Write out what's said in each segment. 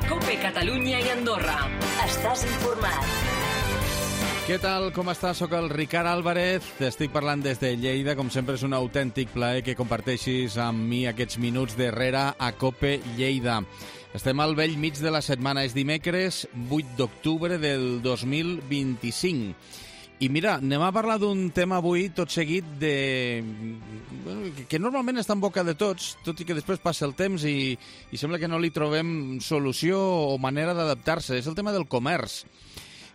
COPE Catalunya i Andorra. Estàs informat. Què tal, com estàs? Soc el Ricard Álvarez, t'estic parlant des de Lleida. Com sempre és un autèntic plaer que comparteixis amb mi aquests minuts darrere a COPE Lleida. Estem al bell mig de la setmana, és dimecres 8 d'octubre del 2025. I mira, anem a parlar d'un tema avui tot seguit que normalment està en boca de tots, tot i que després passa el temps i sembla que no li trobem solució o manera d'adaptar-se. És el tema del comerç.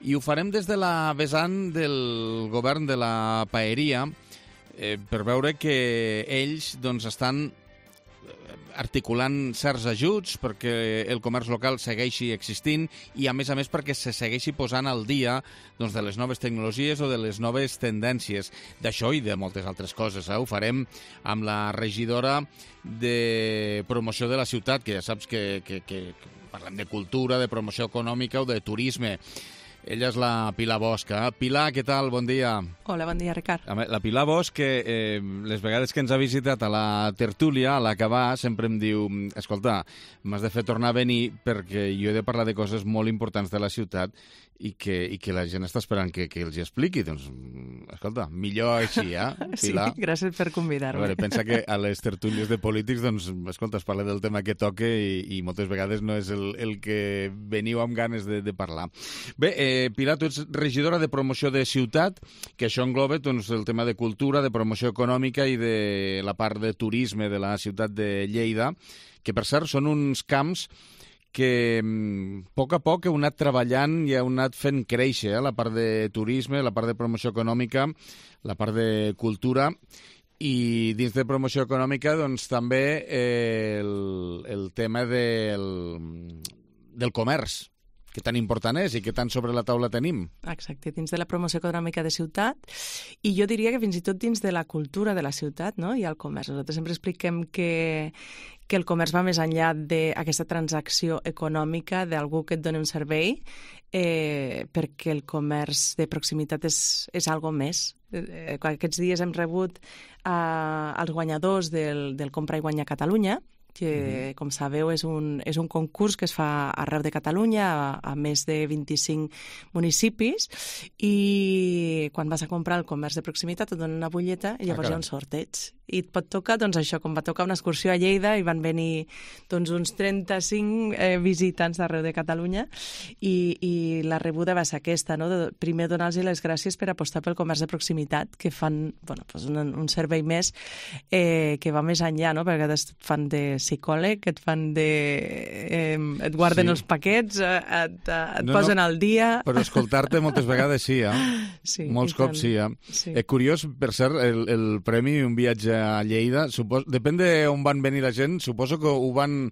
I ho farem des de la vessant del govern de la paeria per veure que ells doncs, estan articulant certs ajuts perquè el comerç local segueixi existint i, a més perquè se segueixi posant al dia doncs, de les noves tecnologies o de les noves tendències. D'això i de moltes altres coses. Ho farem amb la regidora de promoció de la ciutat, que ja saps que parlem de cultura, de promoció econòmica o de turisme. Ella és la Pilar Bosch. Pilar, què tal? Bon dia. Hola, bon dia, Ricard. La Pilar Bosch, les vegades que ens ha visitat a la tertúlia, a l'acabar, sempre em diu: escolta, m'has de fer tornar a venir perquè jo he de parlar de coses molt importants de la ciutat i que la gent està esperant que els hi expliqui. Doncs, escolta, millor així, Pilar? Sí, gràcies per convidar-me. A veure, pensa que a les tertúlies de polítics, doncs, escolta, es parla del tema que toca i moltes vegades no és el que veniu amb ganes de parlar. Bé, Pilar, tu ets regidora de promoció de ciutat, que això engloba doncs, el tema de cultura, de promoció econòmica i de la part de turisme de la ciutat de Lleida, que per cert són uns camps que a poc heu anat treballant i heu anat fent créixer, la part de turisme, la part de promoció econòmica, la part de cultura, i dins de promoció econòmica doncs, també el tema del comerç, que tan important és i que tant sobre la taula tenim. Exacte, dins de la promoció econòmica de ciutat, i jo diria que fins i tot dins de la cultura de la ciutat, no? I el comerç. Nosaltres sempre expliquem que el comerç va més enllà d'aquesta transacció econòmica d'algú que et dona un servei, perquè el comerç de proximitat és algo més. Aquests dies hem rebut els guanyadors del Compra i Guanya Catalunya, que, com sabeu, és un concurs que es fa arreu de Catalunya, a més de 25 municipis, i quan vas a comprar el comerç de proximitat et donen una butlleta i llavors hi ha un sorteig. I et pot tocar, doncs això, com va tocar una excursió a Lleida, i van venir doncs, uns 35 visitants d'arreu de Catalunya, i la rebuda va ser aquesta, no? Primer donar-los les gràcies per apostar pel comerç de proximitat, que fan un servei més que va més enllà, no? Perquè et fan de psicòleg, et fan et guarden els paquets, et posen al dia... Però escoltar-te moltes vegades sí, Sí, molts cops sí, Sí. Curiós, per cert, el premi Un viatge a Lleida, depèn d'on van venir la gent, suposo que ho van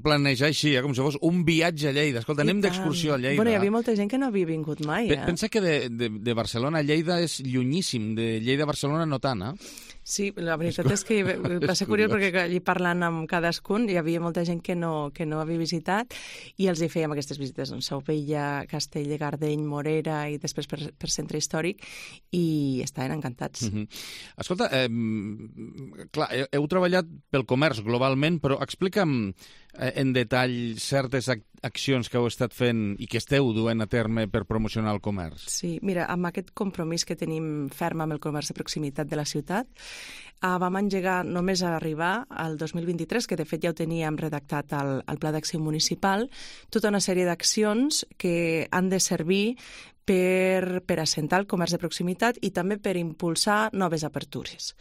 planejar així, com si fos un viatge a Lleida. Escolta, anem d'excursió a Lleida. Bueno, hi havia molta gent que no havia vingut mai, Pensa que de Barcelona a Lleida és llunyíssim, de Lleida a Barcelona no tant, Sí, la veritat és que va ser curiós perquè allí parlant amb cadascun hi havia molta gent que no havia visitat i els hi fèiem aquestes visites, doncs, Sauvella, Castell de Gardeny, Morera i després per centre històric, i estaven encantats. Escolta, clar, heu treballat pel comerç globalment, però explica'm en detall certes accions que heu estat fent i que esteu duent a terme per promocionar el comerç. Sí, mira, amb aquest compromís que tenim ferm amb el comerç de proximitat de la ciutat, vam engegar només a arribar al 2023, que de fet ja ho teníem redactat al Pla d'Acció Municipal, tota una sèrie d'accions que han de servir per assentar el comerç de proximitat i també per impulsar noves apertures.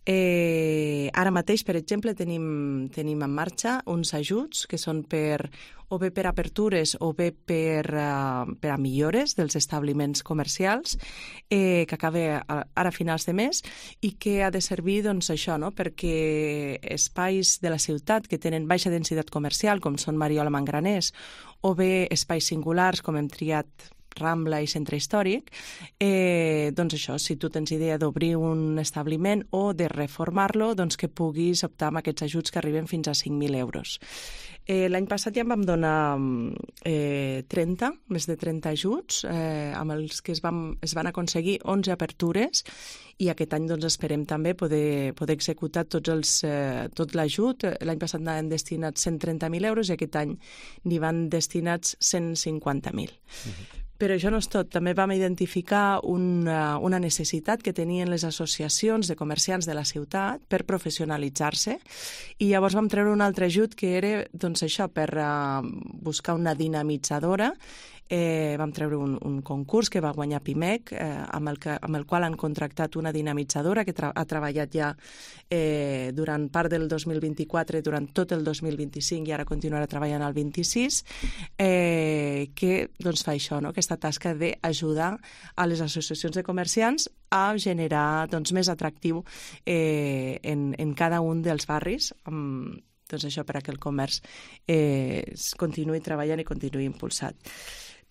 Ara mateix, per exemple, tenim en marxa uns ajuts que són o bé per apertures o bé per a millores dels establiments comercials, que acaba ara a finals de mes, i que ha de servir doncs, això, no? Perquè espais de la ciutat que tenen baixa densitat comercial, com són Mariola Mangraners, o bé espais singulars, com hem triat Rambla i Centre Històric, doncs això, si tu tens idea d'obrir un establiment o de reformar-lo, doncs que puguis optar amb aquests ajuts que arriben fins a 5.000 euros. L'any passat ja en vam donar 30, més de 30 ajuts, amb els que es van aconseguir 11 apertures, i aquest any doncs, esperem també poder executar tot l'ajut. L'any passat anaven destinats 130.000 euros i aquest any n'hi van destinats 150.000. Però això no és tot. També vam identificar una necessitat que tenien les associacions de comerciants de la ciutat per professionalitzar-se, i llavors vam treure un altre ajut que era doncs, això, per buscar una dinamitzadora. Vam treure un concurs que va guanyar Pimec, amb el qual han contractat una dinamitzadora que ha treballat ja durant part del 2024, durant tot el 2025 i ara continuarà treballant al 26, que doncs, fa això, no? Aquesta tasca d'ajudar a les associacions de comerciants a generar doncs, més atractiu en cada un dels barris, doncs això per a que el comerç continuï treballant i continuï impulsat.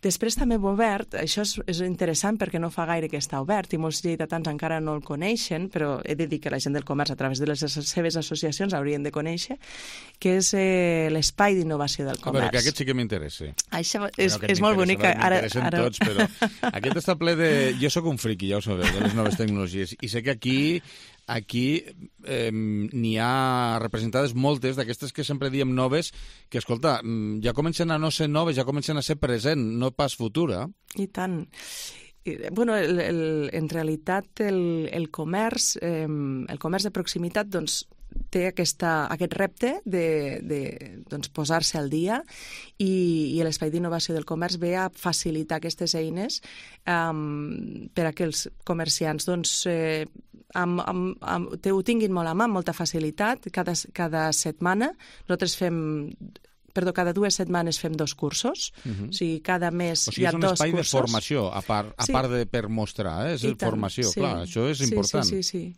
Després també hem obert, això és interessant perquè no fa gaire que està obert i molts lleidatans encara no el coneixen, però he de dir que la gent del comerç a través de les seves associacions haurien de conèixer, que és l'espai d'innovació del comerç. A veure, que aquest sí que m'interessa. Això és molt bonic. M'interessen tots, però aquest està ple de... Jo sóc un friqui, ja ho sabeu, de les noves tecnologies, i sé que aquí n'hi ha representades moltes d'aquestes que sempre diem noves, que, escolta, ja comencen a no ser noves, ja comencen a ser present, no pas futura. I tant. Bueno, en realitat el comerç de proximitat doncs, té aquest repte de doncs, posar-se al dia, i l'espai d'innovació del comerç ve a facilitar aquestes eines per a que els comerciants doncs, ho tinguin molt a mà, amb molta facilitat. Cada setmana nosaltres cada 2 setmanes fem 2 cursos, o sigui, cada mes hi ha 2 cursos. O sigui, és un espai de formació, a part de per mostrar, és formació, clar, això és important. Sí.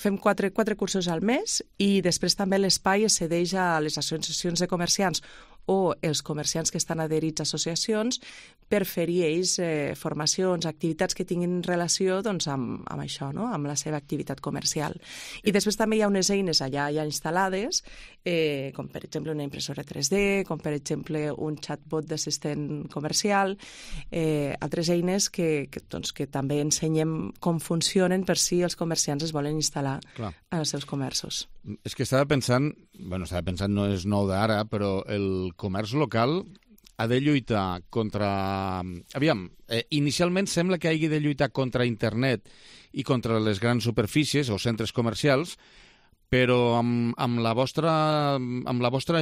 Fem 4 cursos al mes, i després també l'espai es cedeix a les associacions de comerciants o els comerciants que estan adherits a associacions per fer-hi ells formacions, activitats que tinguin relació doncs, amb això, no? Amb la seva activitat comercial. I després també hi ha unes eines allà ja instal·lades, com per exemple una impressora 3D, com per exemple un chatbot d'assistent comercial, altres eines que també ensenyem com funcionen per si els comerciants es volen instal·lar en els seus comerços. És que estava pensant, no és nou d'ara, però el comerç local ha de lluitar contra... Aviam, inicialment sembla que hagi de lluitar contra internet i contra les grans superfícies o centres comercials, però amb la vostra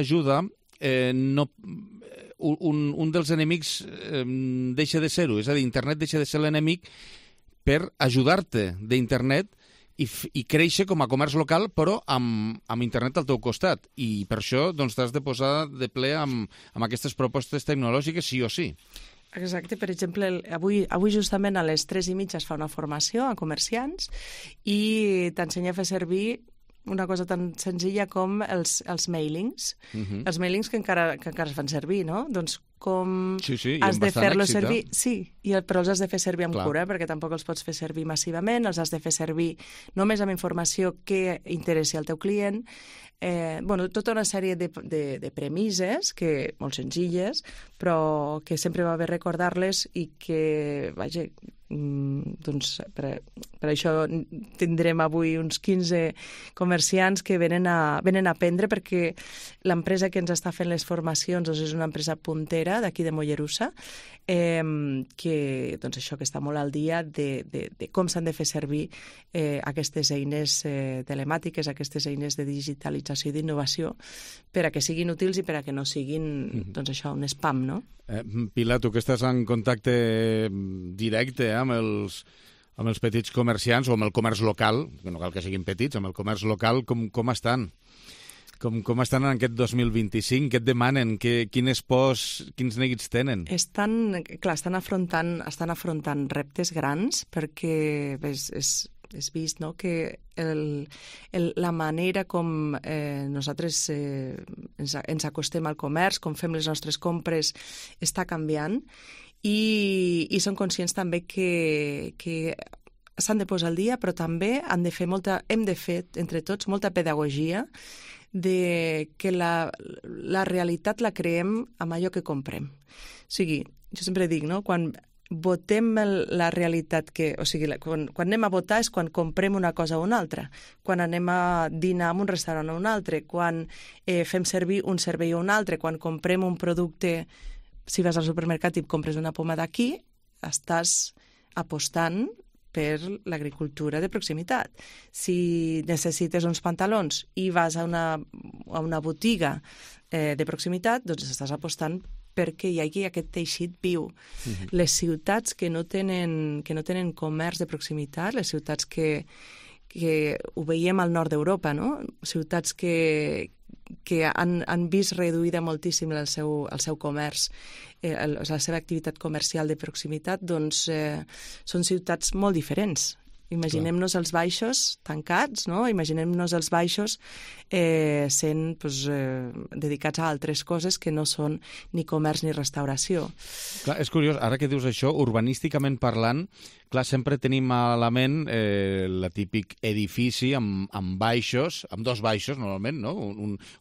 ajuda un dels enemics deixa de ser-ho, és a dir, internet deixa de ser l'enemic per ajudar-te d'internet i créixer com a comerç local, però amb internet al teu costat. I per això doncs, t'has de posar de ple amb aquestes propostes tecnològiques sí o sí. Exacte. Per exemple, avui justament a les 3:30 es fa una formació a comerciants i t'ensenya a fer servir una cosa tan senzilla com els mailings. Els mailings que encara es fan servir, no? Doncs com has de fer-los servir... Sí, però els has de fer servir amb cura, perquè tampoc els pots fer servir massivament, els has de fer servir només amb informació que interessi al teu client. Tota una sèrie de premisses, molt senzilles, però que sempre va bé recordar-les i que, vaja, doncs per això tindrem avui uns 15 comerciants que venen a aprendre, perquè l'empresa que ens està fent les formacions doncs és una empresa puntera d'aquí de Mollerussa, que està molt al dia de com s'han de fer servir aquestes eines telemàtiques, aquestes eines de digitalització i d'innovació, per a que siguin útils i per a que no siguin un spam, no? Pilar, tu que estàs en contacte directe amb els petits comerciants o amb el comerç local, que no cal que siguin petits, amb el comerç local, com estan? Com estan en aquest 2025? Què et demanen? Quins neguits tenen? Estan afrontant reptes grans, perquè és vist, no?, que la manera com nosaltres ens acostem al comerç, com fem les nostres compres, està canviant i som conscients també que s'han de posar al dia, però també hem de fer entre tots molta pedagogia de que la realitat la creem amb allò que comprem. O sigui, jo sempre dic, no?, quan votem la realitat quan anem a votar és quan comprem una cosa o una altra, quan anem a dinar en un restaurant o un altre, quan fem servir un servei o un altre, quan comprem un producte, si vas al supermercat i compres una poma d'aquí, estàs apostant per l'agricultura de proximitat. Si necessites uns pantalons i vas a una botiga de proximitat, doncs estàs apostant perquè hi hagi aquest teixit viu. Les ciutats que no tenen comerç de proximitat, les ciutats que ho veiem al nord d'Europa, no?, ciutats que han vist reduïda moltíssim el seu comerç, la seva activitat comercial de proximitat, doncs són ciutats molt diferents. Imaginem-nos els baixos tancats, no? Imaginem-nos els baixos sent dedicats a altres coses que no són ni comerç ni restauració. Clar, és curiós, ara que dius això, urbanísticament parlant, clar, sempre tenim a la ment el típic edifici amb baixos, amb dos baixos normalment, no?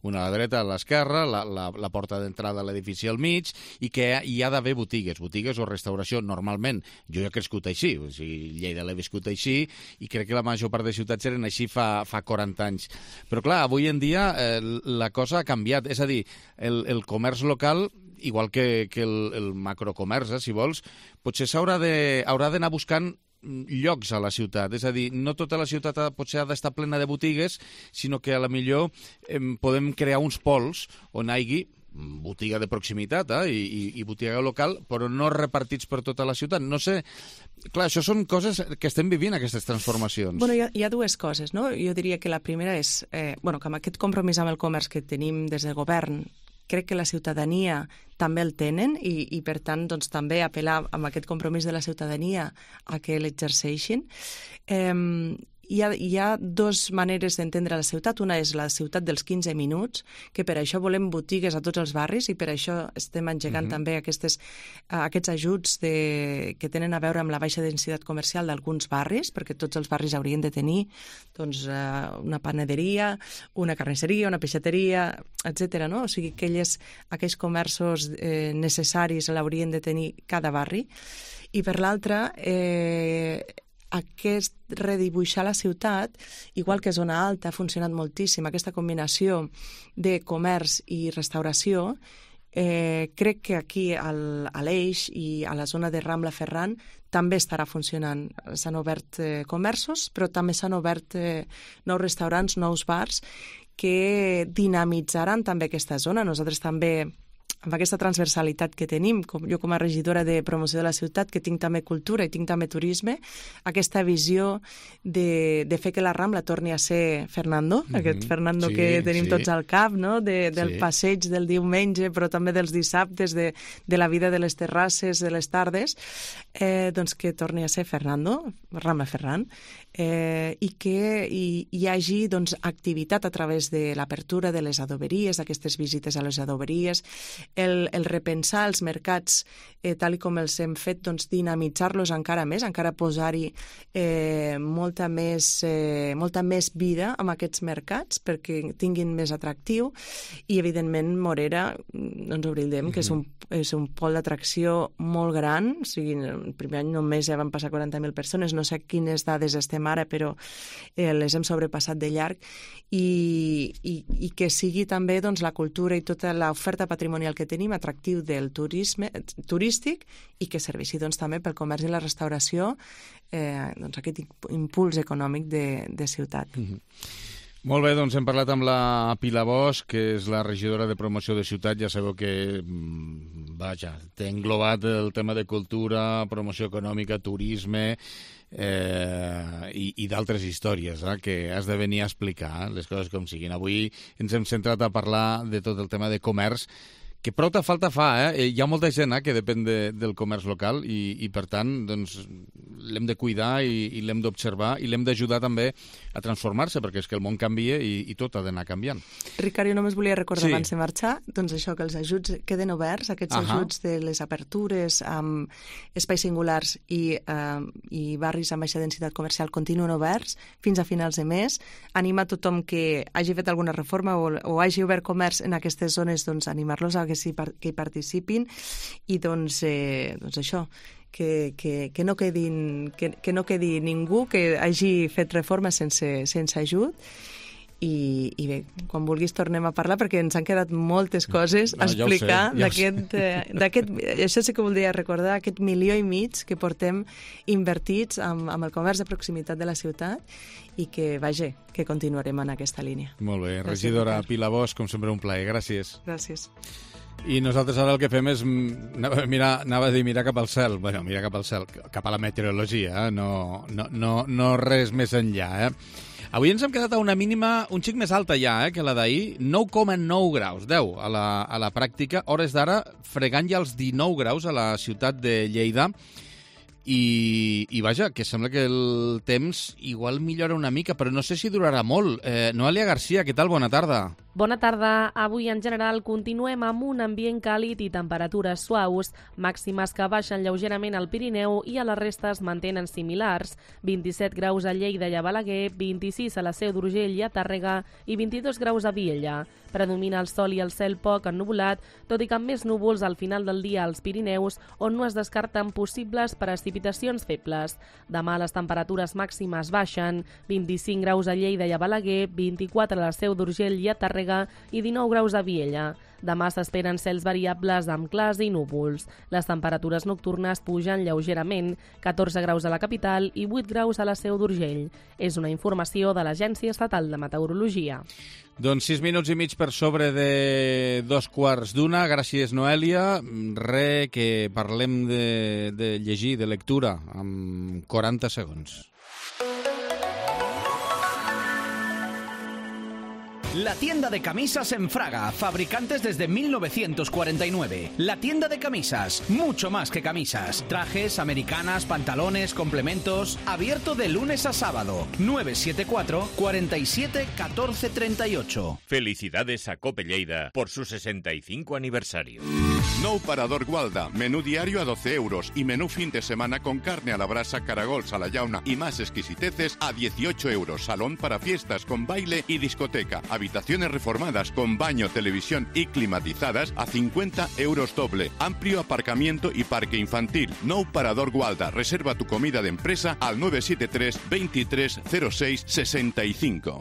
Una a la dreta, a l'esquerra, la porta d'entrada a l'edifici al mig, i que hi ha d'haver botigues o restauració normalment. Jo he crescut així, o sigui, Lleida l'he viscut així, i crec que la major part de ciutats eren així fa 40 anys. Però clar, avui en dia la cosa ha canviat, és a dir, el comerç local, igual que el macrocomerç, si vols, potser haurà d'anar buscant llocs a la ciutat. És a dir, no tota la ciutat potser ha d'estar plena de botigues, sinó que a la millor podem crear uns pols on hi hagi botiga de proximitat i botiga local, però no repartits per tota la ciutat. No sé, clar, això són coses que estem vivint, aquestes transformacions. Bueno, hi ha dues coses, no? Jo diria que la primera és que amb aquest compromís amb el comerç que tenim des del govern, crec que la ciutadania també el tenen i per tant, doncs, també apel·lar amb aquest compromís de la ciutadania a que l'exerceixin. Hi ha dues maneres d'entendre la ciutat. Una és la ciutat dels 15 minuts, que per això volem botigues a tots els barris i per això estem engegant també aquests ajuts que tenen a veure amb la baixa densitat comercial d'alguns barris, perquè tots els barris haurien de tenir doncs, una panaderia, una carnisseria, una peixateria, etc. No? O sigui, aquells comerços necessaris l'haurien de tenir cada barri. I per l'altra, aquest redibuixar la ciutat, igual que Zona Alta ha funcionat moltíssim, aquesta combinació de comerç i restauració, crec que aquí a l'Eix i a la zona de Rambla-Ferran també estarà funcionant. S'han obert comerços, però també s'han obert nous restaurants, nous bars, que dinamitzaran també aquesta zona. Nosaltres també, amb aquesta transversalitat que tenim, jo com a regidora de promoció de la ciutat, que tinc també cultura i tinc també turisme, aquesta visió de fer que la Rambla torni a ser Fernando, aquest Fernando que tenim tots al cap, no? Del passeig del diumenge, però també dels dissabtes, de la vida de les terrasses, de les tardes, doncs que torni a ser Fernando, Rambla-Ferran, i que hi hagi doncs, activitat a través de l'apertura de les adoberies, aquestes visites a les adoberies, el repensar els mercats tal com els hem fet, doncs, dinamitzar-los encara més, encara posar-hi molta més vida amb aquests mercats perquè tinguin més atractiu i, evidentment, Morera, no ens oblidem que és un pol d'atracció molt gran, o sigui, el primer any només ja van passar 40.000 persones, no sé quines dades estem ara, però les hem sobrepassat de llarg i que sigui també doncs, la cultura i tota l'oferta patrimonial que tenim atractiu del turisme turístic i que serveixi doncs, també pel comerç i la restauració doncs, aquest impuls econòmic de ciutat. Molt bé, doncs hem parlat amb la Pilar Bosch, que és la regidora de promoció de ciutat. Ja sabeu que, té englobat el tema de cultura, promoció econòmica, turisme i d'altres històries que has de venir a explicar les coses com siguin. Avui ens hem centrat a parlar de tot el tema de comerç, que prou falta fa, Hi ha molta gent que depèn del comerç local i per tant, doncs, l'hem de cuidar i l'hem d'observar i l'hem d'ajudar també a transformar-se, perquè és que el món canvia i tot ha d'anar canviant. Ricard, jo només volia recordar abans de marxar, doncs això, que els ajuts queden oberts, aquests ajuts de les apertures amb espais singulars i barris amb baixa densitat comercial continuen oberts fins a finals de mes. Anima tothom que hagi fet alguna reforma o hagi obert comerç en aquestes zones, doncs animar-los a que hi participin i doncs això, que no quedi ningú que hagi fet reforma sense ajut. I bé, quan vulguis tornem a parlar perquè ens han quedat moltes coses a explicar d'aquest, això sí que voldria recordar, aquest 1,5 milió que portem invertits amb el comerç de proximitat de la ciutat i que, vaja, que continuarem en aquesta línia. Molt bé, regidora Pilar Bosch, com sempre un plaer, gràcies. Gràcies. I nosaltres ara el que fem és mirar cap al cel. Bueno, mirar cap al cel, cap a la meteorologia, no res més enllà, Avui ens hem quedat a una mínima un xic més alta ja, que la d'ahir, 9,9 graus, 10 a la pràctica, hores d'ara fregant ja els 19 graus a la ciutat de Lleida. I vaja, que sembla que el temps igual millora una mica, però no sé si durarà molt. Noelia Garcia, què tal? Bona tarda. Bona tarda. Avui, en general, continuem amb un ambient càlid i temperatures suaus, màximes que baixen lleugerament al Pirineu i a la resta es mantenen similars. 27 graus a Lleida i a Balaguer, 26 a la Seu d'Urgell i a Tàrrega i 22 graus a Vielha. Predomina el sol i el cel poc ennuvolat, tot i que amb més núvols al final del dia als Pirineus, on no es descarten possibles precipitacions febles. Demà les temperatures màximes baixen, 25 graus a Lleida i a Balaguer, 24 a la Seu d'Urgell i a Tàrrega i 19 graus a Vielha. Demà s'esperen cels variables amb clars i núvols. Les temperatures nocturnes pugen lleugerament, 14 graus a la capital i 8 graus a la Seu d'Urgell. És una informació de l'Agència Estatal de Meteorologia. Doncs 6 minuts i mig per sobre de 2:15. Gràcies, Noelia. Que parlem de llegir, de lectura, amb 40 segons. La tienda de camisas en Fraga, fabricantes desde 1949. La tienda de camisas, mucho más que camisas. Trajes, americanas, pantalones, complementos. Abierto de lunes a sábado. 974 47 14 38. Felicidades a Cope Lleida por su 65 aniversario. Nou Parador Gualda, menú diario a 12 euros y menú fin de semana con carne a la brasa, caragols a la llauna y más exquisiteces a 18 euros. Salón para fiestas con baile y discoteca. Habitaciones reformadas con baño, televisión y climatizadas a 50 euros doble. Amplio aparcamiento y parque infantil. Nou Parador Gualda. Reserva tu comida de empresa al 973 23 06 65.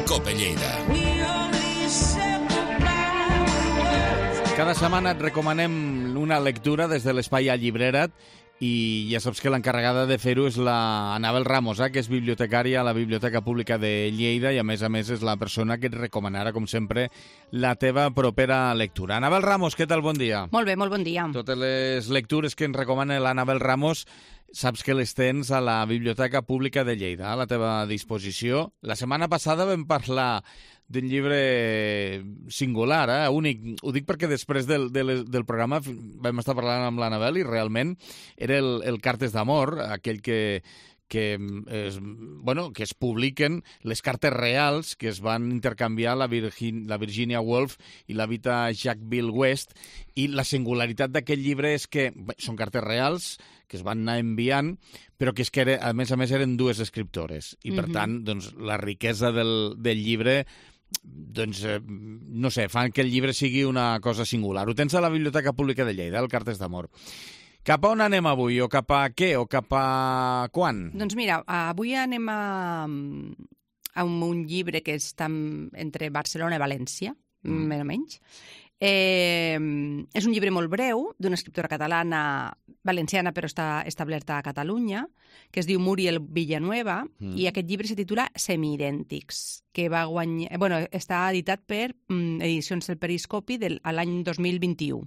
Cope Lleida. Cada setmana et recomanem una lectura des de l'Espai a Llibrera't i ja saps que l'encarregada de fer-ho és la Anabel Ramos, que és bibliotecària a la Biblioteca Pública de Lleida i a més és la persona que et recomanarà, com sempre, la teva propera lectura. Anabel Ramos, què tal? Bon dia. Molt bé, molt bon dia. Totes les lectures que ens recomana l'Anabel Ramos saps que les tens a la Biblioteca Pública de Lleida, a la teva disposició. La setmana passada vam parlar d'un llibre singular, únic. Ho dic perquè després del programa vam estar parlant amb l'Anabel i realment era el Cartes d'amor, aquell que es publiquen les cartes reals que es van intercanviar la Virginia Woolf i la Vita Jackville West, i la singularitat d'aquest llibre és que són cartes reals que es van anar enviant, però que és que a més eren dues escriptores i per tant doncs, la riquesa del llibre doncs, no sé, fan que el llibre sigui una cosa singular. Ho tens a la Biblioteca Pública de Lleida, el Cartes d'amor. Cap a on anem avui? O cap a què? O cap a quan? Doncs mira, avui anem a un llibre que està entre Barcelona i València, més o menys. És un llibre molt breu, d'una escriptora catalana, valenciana, però està establerta a Catalunya, que es diu Muriel Villanueva, i aquest llibre se titula Semiidèntics, que va guanyar... està editat per Edicions del Periscopi l'any 2021.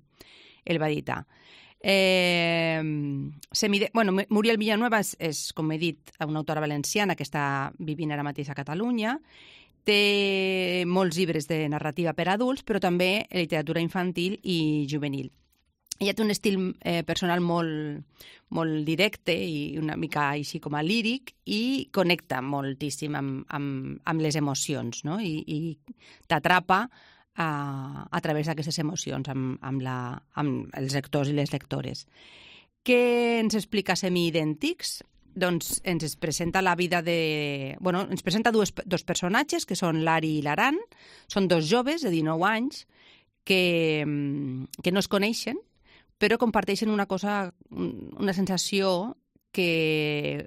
El va editar. Muriel Villanueva és, com he dit, una autora valenciana que està vivint ara mateix a Catalunya. Té molts llibres de narrativa per a adults, però també literatura infantil i juvenil. Ella té un estil personal molt directe i una mica així com a líric i connecta moltíssim amb les emocions, no? I t'atrapa a través d'aquestes emocions amb els lectors i les lectores. Què ens explica Semiidèntics? Doncs ens presenta la vida de... ens presenta dos personatges, que són l'Ari i l'Aran. Són dos joves de 19 anys que no es coneixen, però comparteixen una sensació que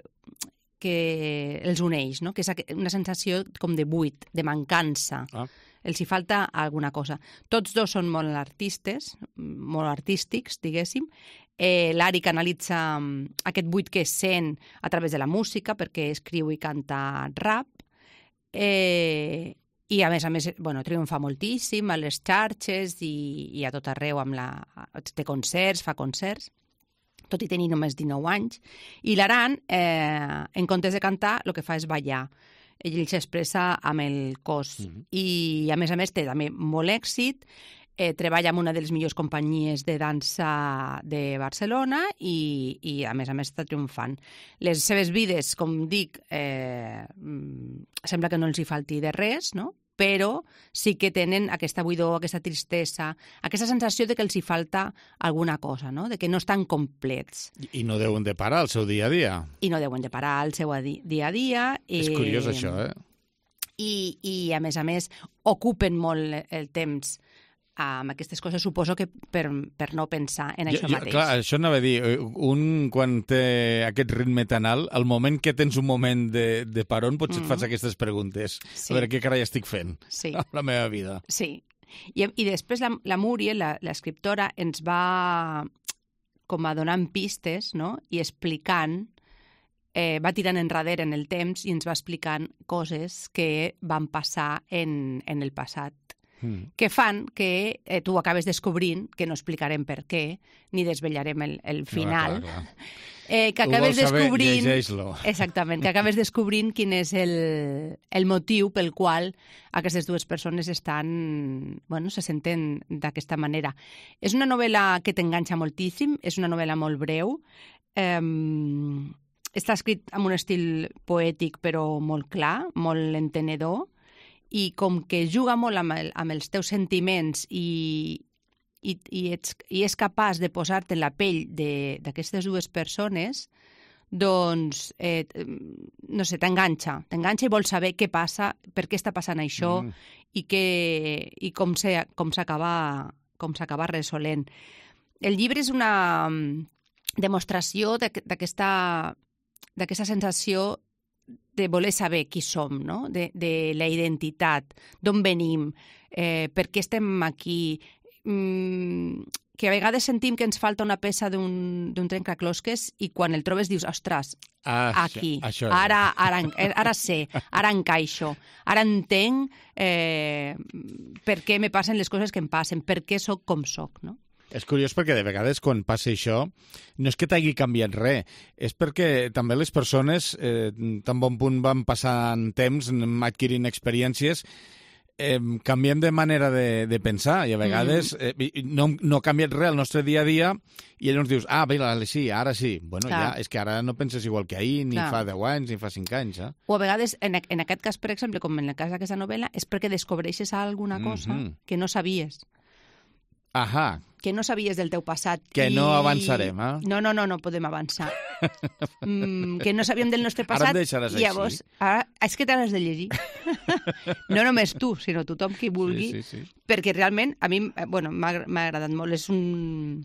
els uneix, no? Que és una sensació com de buit, de mancança. Els hi falta alguna cosa. Tots dos són molt artístics, diguéssim. L'Ari canalitza aquest buit que sent a través de la música, perquè escriu i canta rap. I, a més, triomfa moltíssim a les xarxes i a tot arreu. Té concerts, fa concerts, tot i tenir només 19 anys. I l'Aran, en comptes de cantar, el que fa és ballar. Ell s'expressa amb el cos. I, a més, té també molt èxit. Treballa amb una de les millors companyies de dansa de Barcelona i a més, està triomfant. Les seves vides, com dic, sembla que no els hi falti de res, no? Però sí que tenen aquesta buidor, aquesta tristesa, aquesta sensació de que els hi falta alguna cosa, no? De que no estan complets. I no deuen de parar el seu dia a dia. I no deuen de parar el seu dia a dia. És curiós, això, I a més, ocupen molt el temps amb aquestes coses, suposo que per no pensar en això mateix. Clar, això anava a dir, quan té aquest ritme tan alt, al moment que tens un moment de paron, potser et fas aquestes preguntes. Sí. A veure, què carai estic fent amb la meva vida? Sí. I després la Muriel, l'escriptora, ens va com a donant pistes, no? I explicant, va tirant enrere en el temps i ens va explicant coses que van passar en el passat, que fan que tu acabes descobrint, que no explicarem per què, ni desvetllarem el final, que acabes descobrint... Llegeix-lo. Exactament, que acabes descobrint quin és el motiu pel qual aquestes dues persones se senten d'aquesta manera. És una novel·la que t'enganxa moltíssim, és una novel·la molt breu, està escrit amb un estil poètic però molt clar, molt entenedor, i com que juga molt amb els teus sentiments i és capaç de posar-te en la pell d'aquestes dues persones, doncs, no sé, t'enganxa i vols saber què passa, per què està passant això i com s'acaba resolent. El llibre és una demostració d'aquesta sensació de voler saber qui som, no? De la identitat, d'on venim, per què estem aquí, que a vegades sentim que ens falta una peça d'un trencaclosques i quan el trobes dius, ostres, aquí, ara sé, ara encaixo, ara entenc per què me passen les coses que em passen, per què sóc com sóc, no? És curiós perquè de vegades quan passa això no és que t'hagi canviat res, és perquè també les persones tan bon punt van passant temps, adquirint experiències, canviem de manera de pensar i a vegades no ha canviat res el nostre dia a dia i llavors dius, sí, ara sí. Bueno, ja, és que ara no penses igual que ahir, ni fa 10 anys, ni fa 5 anys. O a vegades, en aquest cas, per exemple, com en el cas d'aquesta novel·la, és perquè descobreixes alguna cosa que no sabies. Ahà. Que no sabies del teu passat. Que no avançarem, No podem avançar. Que no sabíem del nostre passat. Ara em deixaràs així. Llavors, és que t'has de llegir. No només tu, sinó tothom qui vulgui. Sí. Perquè realment, a mi m'ha agradat molt. És una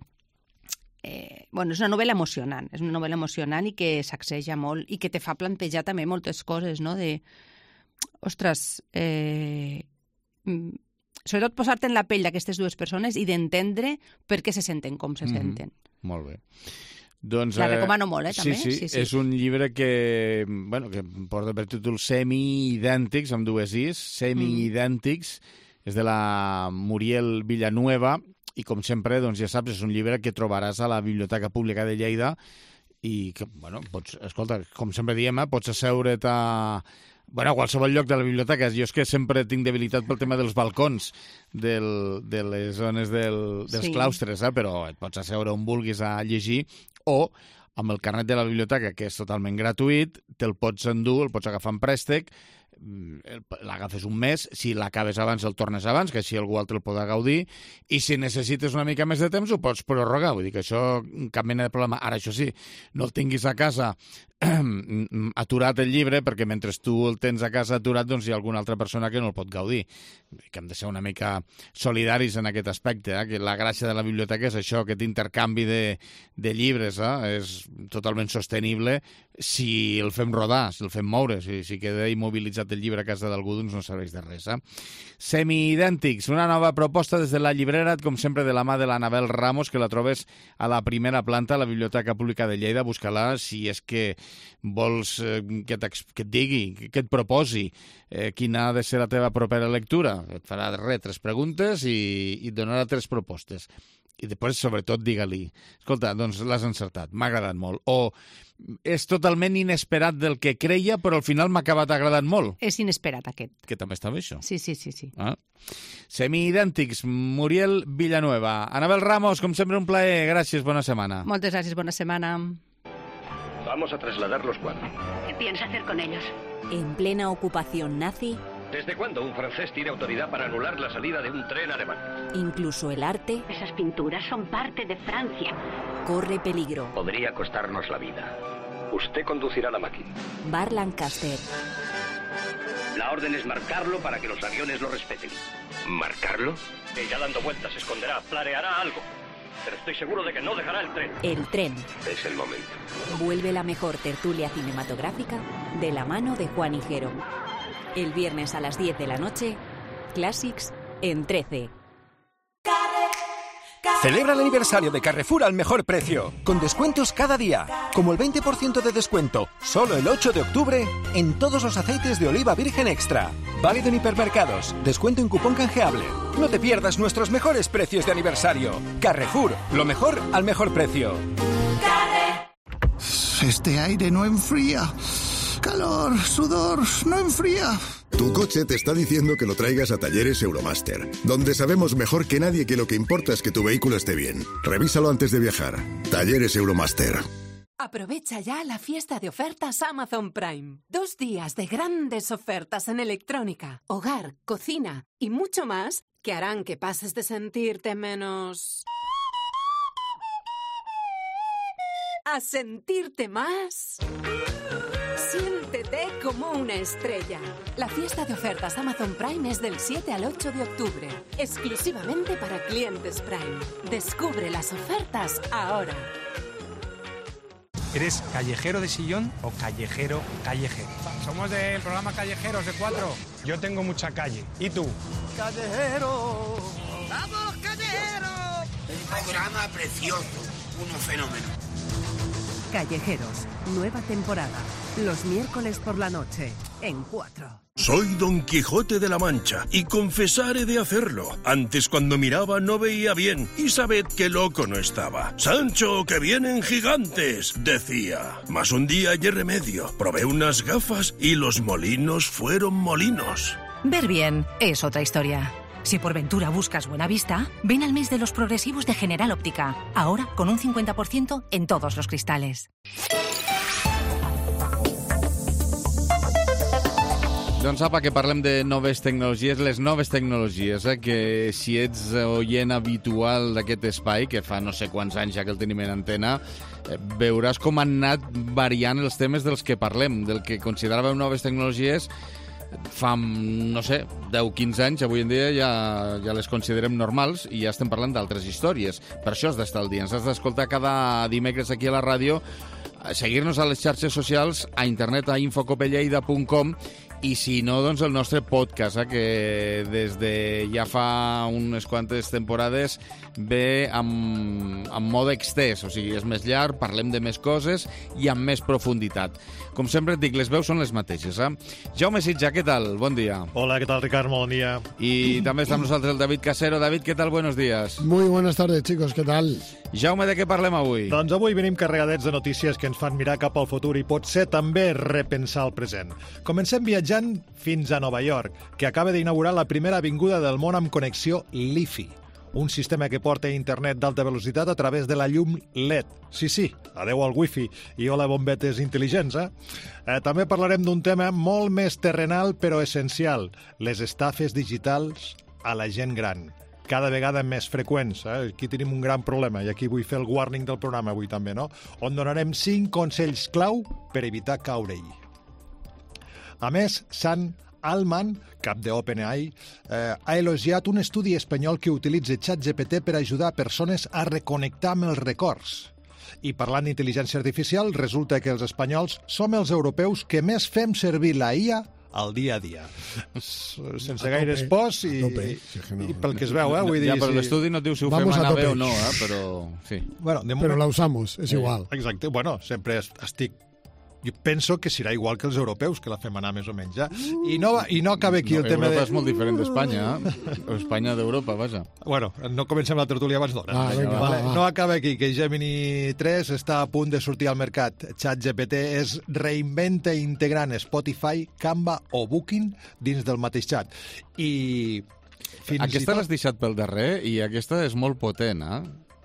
novel·la emocionant. És una novel·la emocionant i que sacseja molt i que te fa plantejar també moltes coses, no? Ostres, sobretot posar-te en la pell d'aquestes dues persones i d'entendre per què se senten com se senten. Molt bé. Doncs, la recomano molt, també. Sí. És un llibre que porta per títol Semiidèntics, amb dues is, Semiidèntics, és de la Muriel Villanueva, i com sempre, doncs ja saps, és un llibre que trobaràs a la Biblioteca Pública de Lleida i que, bueno, escolta, com sempre diem, pots asseure't a qualsevol lloc de la biblioteca. Jo és que sempre tinc debilitat pel tema dels balcons de les zones dels claustres, però et pots asseure on vulguis a llegir o amb el carnet de la biblioteca, que és totalment gratuït, te'l pots endur, el pots agafar en préstec, l'agafes un mes, si l'acabes abans el tornes abans, que així algú altre el podrà gaudir, i si necessites una mica més de temps ho pots prorrogar, vull dir que això cap mena de problema. Ara, això sí, no el tinguis a casa aturat el llibre, perquè mentre tu el tens a casa aturat, doncs hi ha alguna altra persona que no el pot gaudir. Que hem de ser una mica solidaris en aquest aspecte, que la gràcia de la biblioteca és això, aquest intercanvi de llibres, és totalment sostenible si el fem rodar, si el fem moure, si queda immobilitzat el llibre a casa d'algú, doncs no serveix de res. Semiidèntics, una nova proposta des de la llibrera, com sempre de la mà de l'Anabel Ramos, que la trobes a la primera planta a la Biblioteca Pública de Lleida. Busca-la si és que vols que et digui, que et proposi quina ha de ser la teva propera lectura. Et farà 3 preguntes i et donarà 3 propostes. I després, sobretot, digue-li, escolta, doncs l'has encertat, m'ha agradat molt. O és totalment inesperat del que creia, però al final m'ha acabat agradant molt. És inesperat, aquest. Que també està bé, això. Sí. Semiidèntics, Muriel Villanueva. Anabel Ramos, com sempre, un plaer. Gràcies, bona setmana. Moltes gràcies, bona setmana. Vamos a trasladar los cuadros. ¿Qué piensa hacer con ellos? En plena ocupación nazi, ¿Desde cuándo un francés tiene autoridad para anular la salida de un tren alemán? incluso el arte, Esas pinturas son parte de Francia. corre peligro. Podría costarnos la vida. Usted conducirá la máquina. Bar Lancaster. La orden es marcarlo para que los aviones lo respeten. ¿Marcarlo? Ella dando vueltas se esconderá, planeará algo. Pero estoy seguro de que no dejará el tren. El tren. Es el momento. Vuelve la mejor tertulia cinematográfica de la mano de Juan Higuero. El viernes a las 10 de la noche, Classics en 13. Celebra el aniversario de Carrefour al mejor precio, con descuentos cada día, como el 20% de descuento, solo el 8 de octubre, en todos los aceites de oliva virgen extra. Válido en hipermercados, descuento en cupón canjeable. No te pierdas nuestros mejores precios de aniversario. Carrefour, lo mejor al mejor precio. Este aire no enfría. Calor, sudor, no enfría. Tu coche te está diciendo que lo traigas a Talleres Euromaster, donde sabemos mejor que nadie que lo que importa es que tu vehículo esté bien. Revísalo antes de viajar. Talleres Euromaster. Aprovecha ya la fiesta de ofertas Amazon Prime. 2 días de grandes ofertas en electrónica, hogar, cocina y mucho más que harán que pases de sentirte menos a sentirte más. Siéntete como una estrella. La fiesta de ofertas Amazon Prime es del 7 al 8 de octubre, exclusivamente para clientes Prime. Descubre las ofertas ahora. ¿Eres callejero de sillón o callejero? Somos del programa Callejeros de 4. Yo tengo mucha calle. ¿Y tú? Callejero. ¡Vamos, callejero! Un programa precioso, uno fenómeno. Callejeros, nueva temporada. Los miércoles por la noche, en 4. Soy Don Quijote de la Mancha y confesaré de hacerlo. Antes cuando miraba no veía bien y sabed que loco no estaba. Sancho, que vienen gigantes, decía. Mas un día hallé remedio, probé unas gafas y los molinos fueron molinos. Ver bien es otra historia. Si por ventura buscas buena vista, ven al mes de los progresivos de General Óptica. Ahora con un 50% en todos los cristales. Doncs apa, que parlem de noves tecnologies, les noves tecnologies, que si ets oient habitual d'aquest espai, que fa no sé quants anys ja que el tenim en antena, veuràs com han anat variant els temes dels que parlem, del que consideràvem noves tecnologies fa, no sé, 10-15 anys, avui en dia ja les considerem normals i ja estem parlant d'altres històries. Per això has d'estar al dia, ens has d'escoltar cada dimecres aquí a la ràdio, seguir-nos a les xarxes socials, a internet, a infocopelleida.com I si no, doncs el nostre podcast, que des de ja fa unes quantes temporades ve amb mode extès, o sigui, és més llarg, parlem de més coses i amb més profunditat. Com sempre et dic, les veus són les mateixes. Jaume Sitja, què tal? Bon dia. Hola, ¿qué tal, Ricard? Bon dia. I també està amb nosaltres el David Casero. David, què tal? Buenos días. Muy buenas tardes, chicos, ¿qué tal? Jaume, de què parlem avui? Doncs avui venim carregadets de notícies que ens fan mirar cap al futur i potser també repensar el present. Comencem viatjant fins a Nova York, que acaba d'inaugurar la primera avinguda del món amb connexió LiFi, un sistema que porta internet d'alta velocitat a través de la llum LED. Sí, adeu al wifi i hola bombetes intel·ligents, També parlarem d'un tema molt més terrenal però essencial, les estafes digitals a la gent gran. Cada vegada més freqüents. Aquí tenim un gran problema i aquí vull fer el warning del programa avui també, no? On donarem 5 consells clau per evitar caure-hi. A més, Sam Altman, cap de OpenAI, ha elogiat un estudi espanyol que utilitza ChatGPT per ajudar persones a reconnectar amb els records. I parlant d'intel·ligència artificial, resulta que els espanyols som els europeus que més fem servir la IA al dia a dia. Sense gaires pors i pel que es veu, vull dir... Ja, però l'estudi no diu si ho fem anar bé o no, però... Sí. Bueno, pero la usamos, es igual. Exacte, bueno, sempre estic... Jo penso que serà igual que els europeus, que la fem anar més o menys, I no acaba aquí el tema de... Europa és molt diferent d'Espanya, o Espanya d'Europa, vaja. Bueno, no comencem la tertúlia abans d'hora. No acaba aquí, que Gemini 3 està a punt de sortir al mercat. ChatGPT es reinventa integrant Spotify, Canva o Booking dins del mateix xat. I... Aquesta l'has deixat pel darrer i aquesta és molt potent,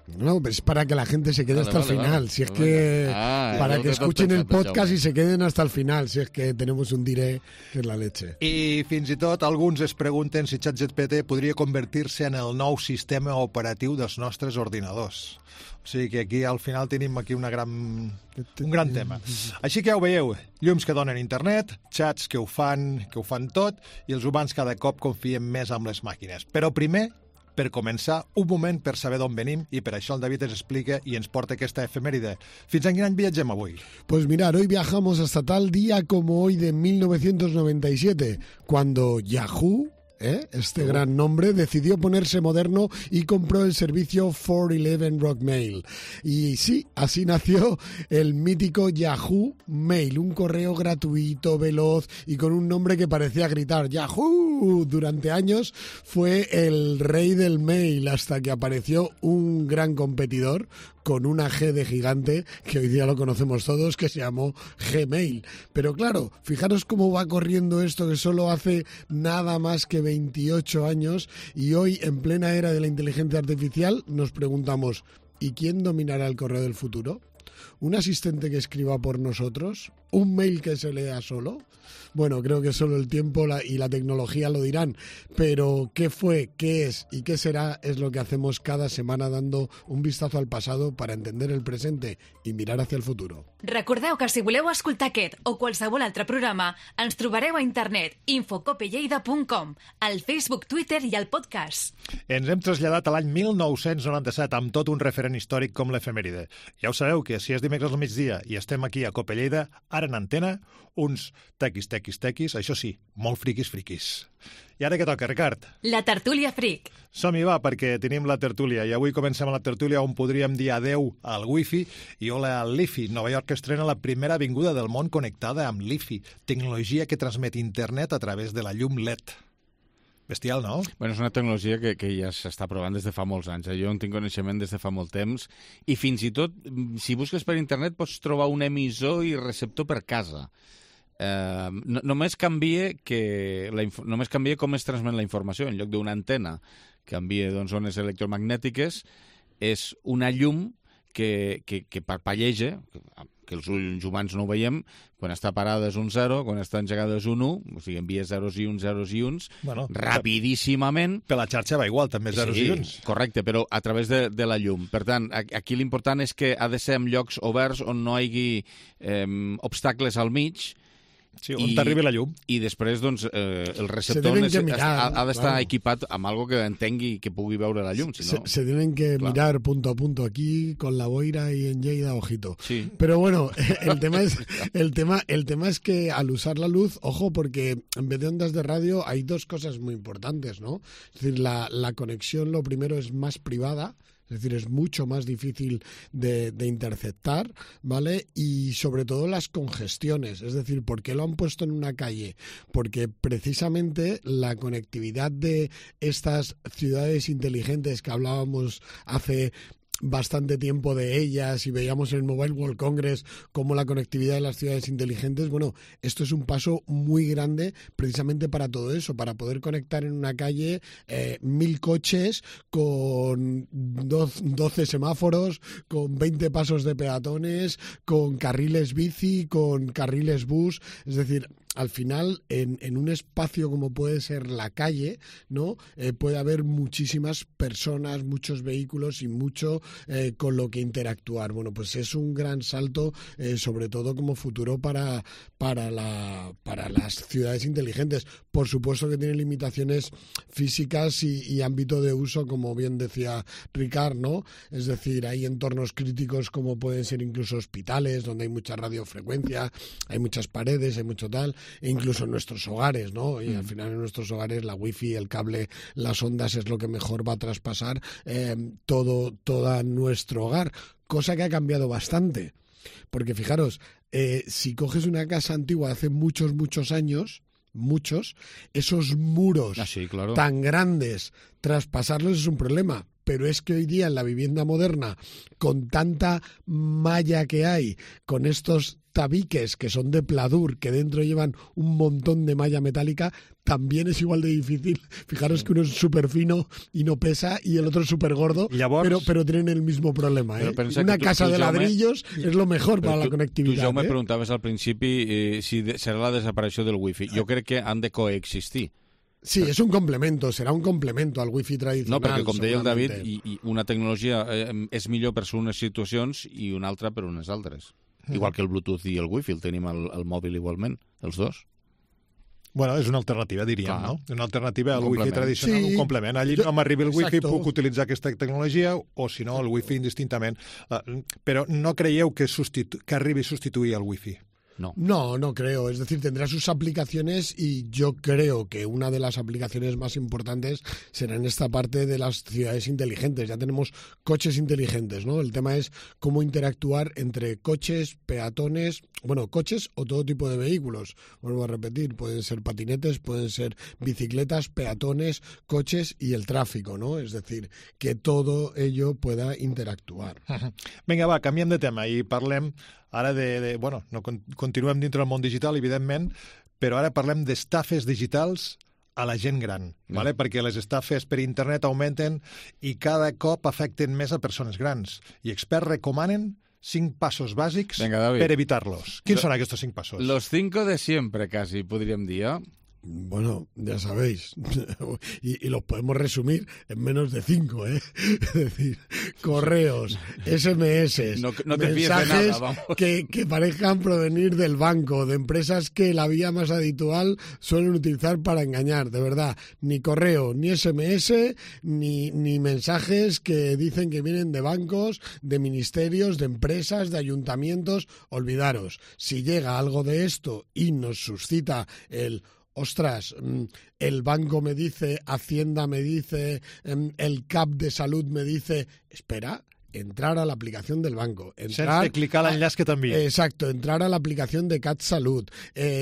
No, pero es para que la gente se quede hasta el final. Si es que para que escuchen el podcast y se queden hasta el final. Si es que tenemos un diré que es la leche. I fins i tot alguns es pregunten si ChatGPT podria convertir-se en el nou sistema operatiu dels nostres ordinadors. O sigui que aquí al final tenim aquí un gran tema. Així que ja ho veieu, llums que donen internet, xats que ho fan tot i els humans cada cop confiem més en les màquines. Però primer, per començar, un moment per saber d'on venim i per això el David ens explica i ens porta aquesta efemèride. Fins a quin any viatgem avui? Pues mirar, hoy viajamos hasta tal día como hoy de 1997, cuando Yahoo, este gran nombre, decidió ponerse moderno y compró el servicio 411 Rockmail. Y sí, así nació el mítico Yahoo Mail, un correo gratuito, veloz y con un nombre que parecía gritar ¡Yahoo! Durante años fue el rey del mail hasta que apareció un gran competidor con una G de gigante, que hoy día lo conocemos todos, que se llamó Gmail. Pero claro, fijaros cómo va corriendo esto, que solo hace nada más que 28 años, y hoy, en plena era de la inteligencia artificial, nos preguntamos, ¿y quién dominará el correo del futuro? ¿Un asistente que escriba por nosotros? ¿Un mail que se lea solo? Bueno, creo que solo el tiempo y la tecnología lo dirán, pero qué fue, qué es y qué será es lo que hacemos cada semana dando un vistazo al pasado para entender el presente i mirar hacia el futuro. Recordeu que si voleu escoltar aquest o qualsevol altre programa, ens trobareu a internet infocopelleida.com, al Facebook, Twitter i al podcast. Ens hem traslladat a l'any 1997 amb tot un referent històric com l'efemèride. Ja ho sabeu que si és dimecres al migdia i estem aquí a Copa Lleida, ara en antena, uns tequis, això sí, molt friquis. I ara què toca, Ricard? La tertúlia fric. Som-hi, va, perquè tenim la tertúlia i avui comencem la tertúlia on podríem dir adeu al wifi i hola al LiFi. Nova York estrena la primera avinguda del món connectada amb LiFi, tecnologia que transmet internet a través de la llum LED. Bestial, no? Bueno, és una tecnologia que ja s'està provant des de fa molts anys. Jo en tinc coneixement des de fa molt temps i fins i tot, si busques per internet, pots trobar un emissor i receptor per casa. Només canvia com es transmet la informació. En lloc d'una antena que envia ones electromagnètiques, és una llum que parpalleja, que els ulls humans no ho veiem, quan està parada és un 0, quan està engegada és un 1, o sigui, envia zeros i uns, rapidíssimament. Per la xarxa va igual, també zeros i uns. Correcte, però a través de la llum. Per tant, aquí l'important és que ha de ser en llocs oberts on no hi hagi obstacles al mig, Sí, on t'arribi la llum. I després, doncs, el receptor ha d'estar equipat amb algo que entengui que pugui veure la llum. Si no... Se tienen que mirar punto a punto aquí, con la boira y en Lleida, ojito. Sí. Pero bueno, el tema es que al usar la luz, ojo, porque en vez de ondas de radio hay dos cosas muy importantes, ¿no? Es decir, la conexión, lo primero, es más privada. Es decir, es mucho más difícil de interceptar, ¿vale? Y sobre todo las congestiones. Es decir, ¿por qué lo han puesto en una calle? Porque precisamente la conectividad de estas ciudades inteligentes que hablábamos hace bastante tiempo de ellas y veíamos en el Mobile World Congress como la conectividad de las ciudades inteligentes, bueno, esto es un paso muy grande precisamente para todo eso, para poder conectar en una calle 1000 coches con 12 semáforos, con 20 pasos de peatones, con carriles bici, con carriles bus, es decir... Al final, en un espacio como puede ser la calle, ¿no? Puede haber muchísimas personas, muchos vehículos y mucho con lo que interactuar. Bueno, pues es un gran salto, sobre todo como futuro para las ciudades inteligentes. Por supuesto que tiene limitaciones físicas y ámbito de uso, como bien decía Ricard, ¿no? Es decir, hay entornos críticos como pueden ser incluso hospitales, donde hay mucha radiofrecuencia, hay muchas paredes, hay mucho tal... E incluso en nuestros hogares, ¿no? Y al final en nuestros hogares la wifi, el cable, las ondas es lo que mejor va a traspasar todo nuestro hogar, cosa que ha cambiado bastante. Porque fijaros, si coges una casa antigua de hace muchos años, esos muros tan grandes, traspasarlos es un problema. Pero es que hoy día en la vivienda moderna, con tanta malla que hay, con estos tabiques que son de pladur, que dentro llevan un montón de malla metálica, también es igual de difícil. Fijaros que uno es súper fino y no pesa, y el otro es súper gordo, pero tienen el mismo problema. Una casa de ladrillos es lo mejor para la conectividad. Tu, Jaume, preguntaves al principi si serà la desaparició del wifi. Jo crec que han de coexistir. Sí, és un complemento, serà un complemento al wifi tradicional. No, perquè com deia el David, i una tecnologia és millor per unes situacions i una altra per unes altres. Igual que el Bluetooth i el wifi, el tenim al mòbil igualment, els dos. Bueno, és una alternativa, diríem, no? Una alternativa al wifi tradicional, un complement. Allí no m'arribi el wifi, puc utilitzar aquesta tecnologia, o si no, el wifi indistintament. Però no creieu que arribi a substituir el wifi? No creo. Es decir, tendrá sus aplicaciones y yo creo que una de las aplicaciones más importantes será en esta parte de las ciudades inteligentes. Ya tenemos coches inteligentes, ¿no? El tema es cómo interactuar entre coches, peatones, bueno, coches o todo tipo de vehículos. Vuelvo a repetir, pueden ser patinetes, pueden ser bicicletas, peatones, coches y el tráfico, ¿no? Es decir, que todo ello pueda interactuar. Vinga, va, canviem de tema i parlem ara bueno, no continuem dintre del món digital, evidentment, però ara parlem d'estafes digitals a la gent gran, ¿vale? Perquè les estafes per internet augmenten i cada cop afecten més a persones grans. I experts recomanen 5 pasos bàsics per evitar-los. Quins són aquests 5 pasos? Los 5 de siempre, casi, podríem dir, ¿eh? Bueno, ya sabéis, y los podemos resumir en menos de 5, ¿eh? Es decir, correos, SMS, no te mensajes nada, que parezcan provenir del banco, de empresas que la vía más habitual suelen utilizar para engañar, de verdad. Ni correo, ni SMS, ni mensajes que dicen que vienen de bancos, de ministerios, de empresas, de ayuntamientos. Olvidaros, si llega algo de esto y nos suscita ostras, el banco me dice, Hacienda me dice, el CAP de salud me dice, espera, entrar a la aplicación del banco. Sense clicar l'enllaç que t'envia. Exacto, entrar a la aplicación de CAT Salud,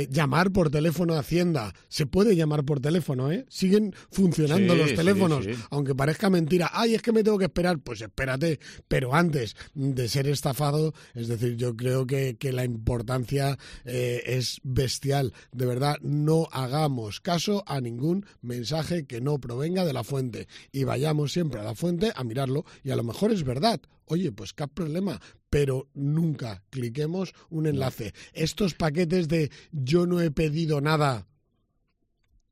llamar por teléfono a Hacienda. Se puede llamar por teléfono, ¿eh? Siguen funcionando los teléfonos, aunque parezca mentira. Ay, es que me tengo que esperar. Pues espérate, pero antes de ser estafado, es decir, yo creo que la importancia es bestial. De verdad, no hagamos caso a ningún mensaje que no provenga de la fuente y vayamos siempre a la fuente a mirarlo, y a lo mejor es verdad. Oye, pues qué problema, pero nunca cliquemos un enlace. Estos paquetes de yo no he pedido nada,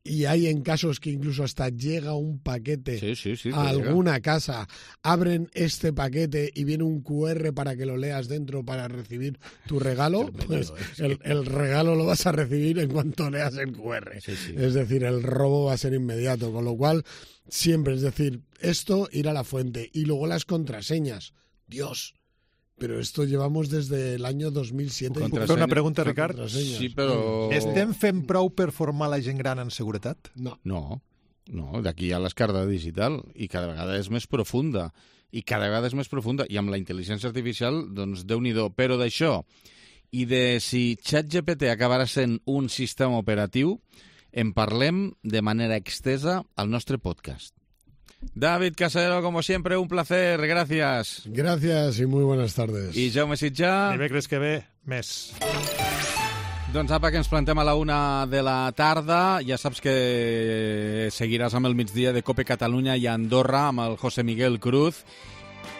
y hay en casos que incluso hasta llega un paquete sí, a alguna casa, abren este paquete y viene un QR para que lo leas dentro para recibir tu regalo, pues el regalo lo vas a recibir en cuanto leas el QR. Es decir, el robo va a ser inmediato, con lo cual siempre, es decir, esto ir a la fuente. Y luego las contraseñas. Dios, però esto llevamos desde el año 2007. Puc fer una pregunta, Ricard? Sí, però... Estem fent prou per formar la gent gran en seguretat? No, d'aquí hi ha l'escarda digital i cada vegada és més profunda. I amb la intel·ligència artificial, doncs, Déu-n'hi-do. Però d'això, i de si ChatGPT acabarà sent un sistema operatiu, en parlem de manera extesa al nostre podcast. David Casero, como siempre, un placer. Gracias. Gracias y muy buenas tardes. I Jaume Sitjà. Dimecres que ve, més. Doncs apa, que ens plantem a la 1 de la tarda. Ja saps que seguiràs amb el migdia de Cope Catalunya i Andorra amb el José Miguel Cruz.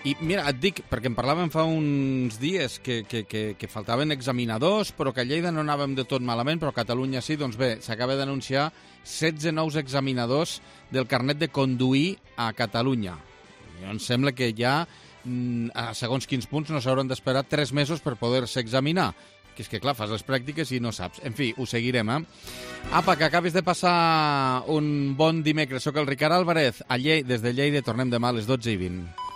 I mira, et dic, perquè en parlàvem fa uns dies que faltaven examinadors, però que a Lleida no anàvem de tot malament, però a Catalunya sí. Doncs bé, s'acaba d'anunciar 16 nous examinadors del carnet de conduir a Catalunya. Em sembla que ja, a segons quins punts, no s'hauran d'esperar 3 mesos per poder-se examinar. Que és que, clar, fas les pràctiques i no saps. En fi, ho seguirem, Apa, que acabis de passar un bon dimecres. Soc el Ricard Álvarez. Des de Lleida tornem demà a les 12:20.